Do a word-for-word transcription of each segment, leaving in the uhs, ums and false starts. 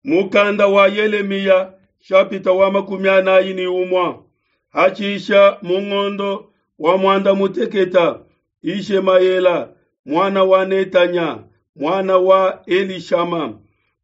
Mukanda wa Yelemiya shapita wa makumi anayi ni umwa hatshisha mu ngondo wa mwanda muteketa Ishemayela mwana wa Netanya mwana wa Elishama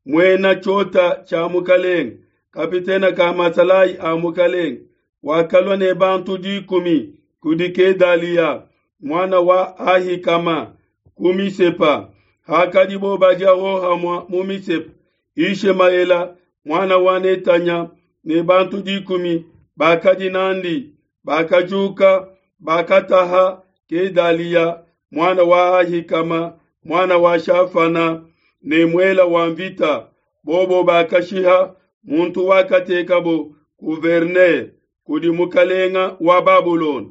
mwena chota cha mukalenge kapitena ka masalayi a mukalenge wakalwa ne bantu dikumi kudi Kedalia mwana wa Ahikama ku Misepa hakadibo badia hohamwa mu Misepa Ishemayela mwana wa Netanya ne bantu dikumi bakadi nandi bakajuka bakataha Kedalia mwana wa Ahikama mwana wa Shafana ne mwela wa mvita bobo bakashiha muntu wakatekabo guverner kudi mukalenga wa Babulona.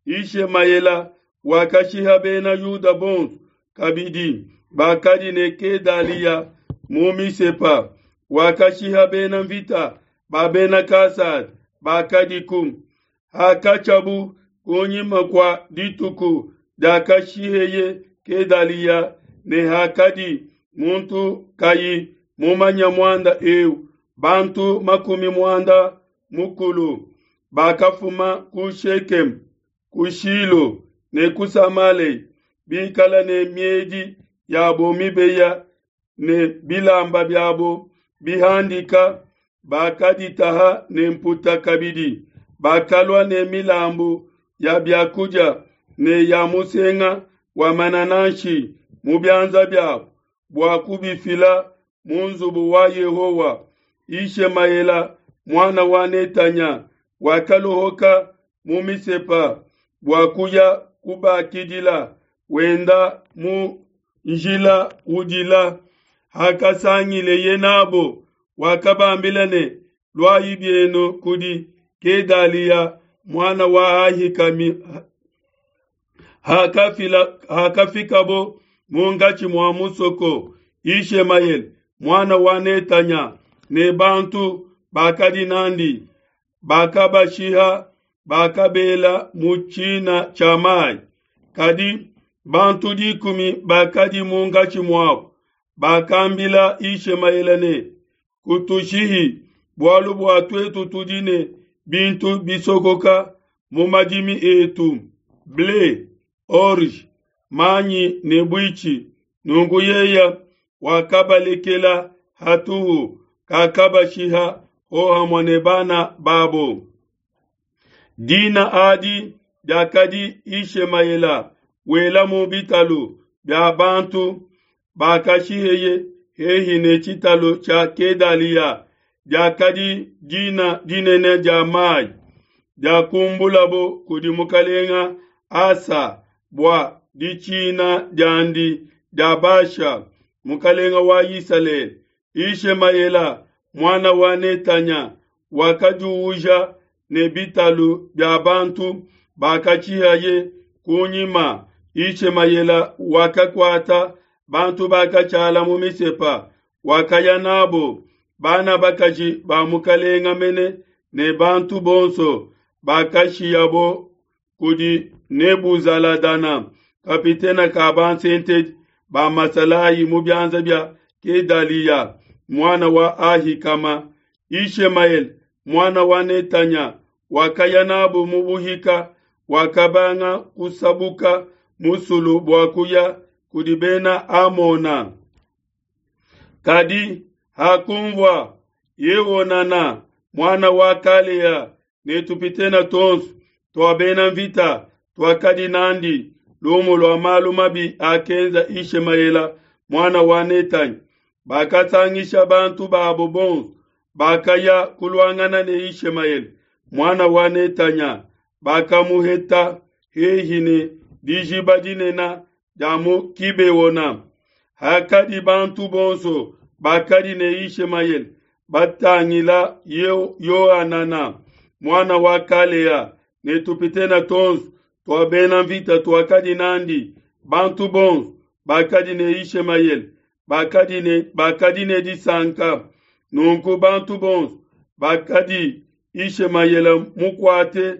Ishemayela wakashiha bena Yuda bonso kabidi bakadi ne Kedalia mu Misepa wakashiha bena mvita ba bena Kasada bakadiku. Hakatshiabu kunyima kua dituku diakashiheye Kedalia ne hakadi muntu kayi mumanya muanda eu bantu makumi muanda mukulu bakafuma ku Shekem ku Shilo ne ku Samale bikala ne miedi yabo mibeya ne bilamba byabo bihandika bakaditaha ne mputa kabidi bakalwa ne milambu ya byakudia ne ya musenga wa manananshi mu byanza byabo bua kubifila mu nzubu wa Yehowa. Ishemayela mwana wa Netanya wakalohoka mu Misepa bua kuya kubakidila wenda mu njila udila. Hakasangileye nabo wakabambila ne lwayi byenu kudi Kedalia mwana wa Ahikami. Hakafila hakafikabo mungachi mwa musoko Ishemayel mwana wa Netanya ne bantu bakadi nandi bakabashiha bakabela mu tshina tshia mai. Kadi bantu dikumi bakadi mungachi mwabo bakambila Ishemayela ne kutushihi bwalu bua twetu tudi ne bintu bisokoka mu madimi etu ble orge manyi ne bwichi. Nungu yeya wakabalekela hatuhu kakabashiha hohamwa ne bana babo. Dina adi diakadi Ishemayela wela mu bitalu bya bantu bakashiheye hehi ne tshitalu tshia Kedalia diakadi dina dinene dia mai diakumbulabo kudi mukalenga Asa bua ditshina diandi dia Basha mukalenga wa Isalele. Ishemayela mwana wa Netanya wakajuuja ne bitalu bya bantu bakatshihaye kunyima. Ishemayela wakakwata bantu bakatshala mu Misepa wakaya nabo bana bakaji ba mukalenga mene ne bantu bonso bakashiyabo kudi Nebuzaladana kapitena ka bansentedi ba masalayi mu byanza bya Kedalia mwana wa Ahikama. Ishemayel mwana wa Netanya wakaya nabo mu buhika wakabanga kusabuka musulu bua kuya kudi bena Amona. Kadi hakumvua Yehonana mwana wa Kalea ne tupitena tonso twa bena mvita twakadi nandi lumu lwa malu mabi akenza Ishemayela mwana wa Netanya. Bakasangisha bantu babo bonso bakaya kulwangana ne Ishemayela mwana wa Netanya bakamuheta hehi ne dijiba dinena dia mu Kibeona. Hakadi bantu bonso bakadi ne Ishemayela batangila Yohanana mwana wa Kalea ne tupitena tonso twa bena mvita twakadi nandi bantu bonso bakadi ne Ishemayela bakadi ne bakadi ne disanka. Nunku bantu bonso bakadi Ishemayela mukwate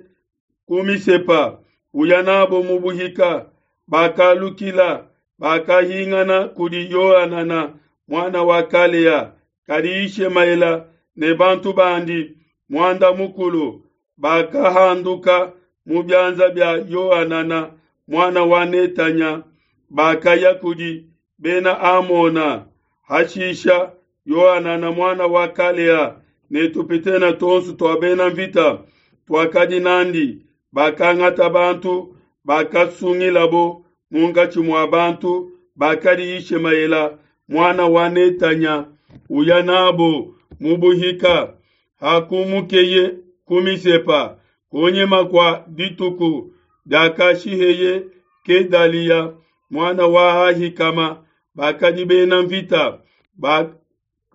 ku Misepa uya nabo mu buhika bakalukila bakahingana kudi Yohanana mwana wa Kalea Kadi Yishemaela ne bantu bandi muanda mukulu bakahanduka mu bianza bia Yohanana, muana wa Netanya, bakaya kudi Bena Amona. Hashisha Yohanana, muana wa Kalea, ne tupitene tuonso tua bena nvita tuakadi n'andi bakangata bantu bakasungilabo munkatshi mua bantu bakadi Yishemaela, muana wa Netanya, uya n'abo mu buhika. Hakumukeye ku Misepa kunyima kua dituku diakashiheye Gedaliya, muana wa Ahikama, bakadi bena nvita ba,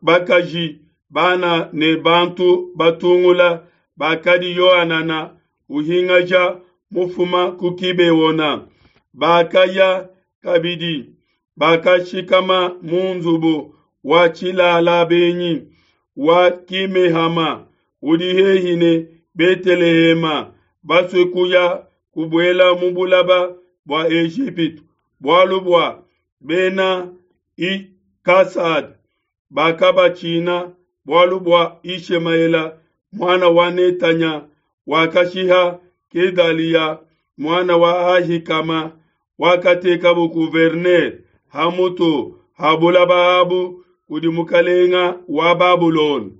bakaji, bana ne bantu batungula bakadi Yohanana uhingaja mufuma ku Gibeona. Bakaya kabidi, bakashikama mu nzubu wa tshilala benyi wa Kimehama udi hehi ne Betelehema, basue kuya kubuela mu bulaba bua Ejipitu, bualu bua bena Kasada bakabatshina, bualu bua Yishemaela, muana wa Netanya, wakashiha Gedaliya, muana wa Ahikama, wakatekabo gouverneur ha mutu ha bulaba abu kudi mukalenga wa Babulona.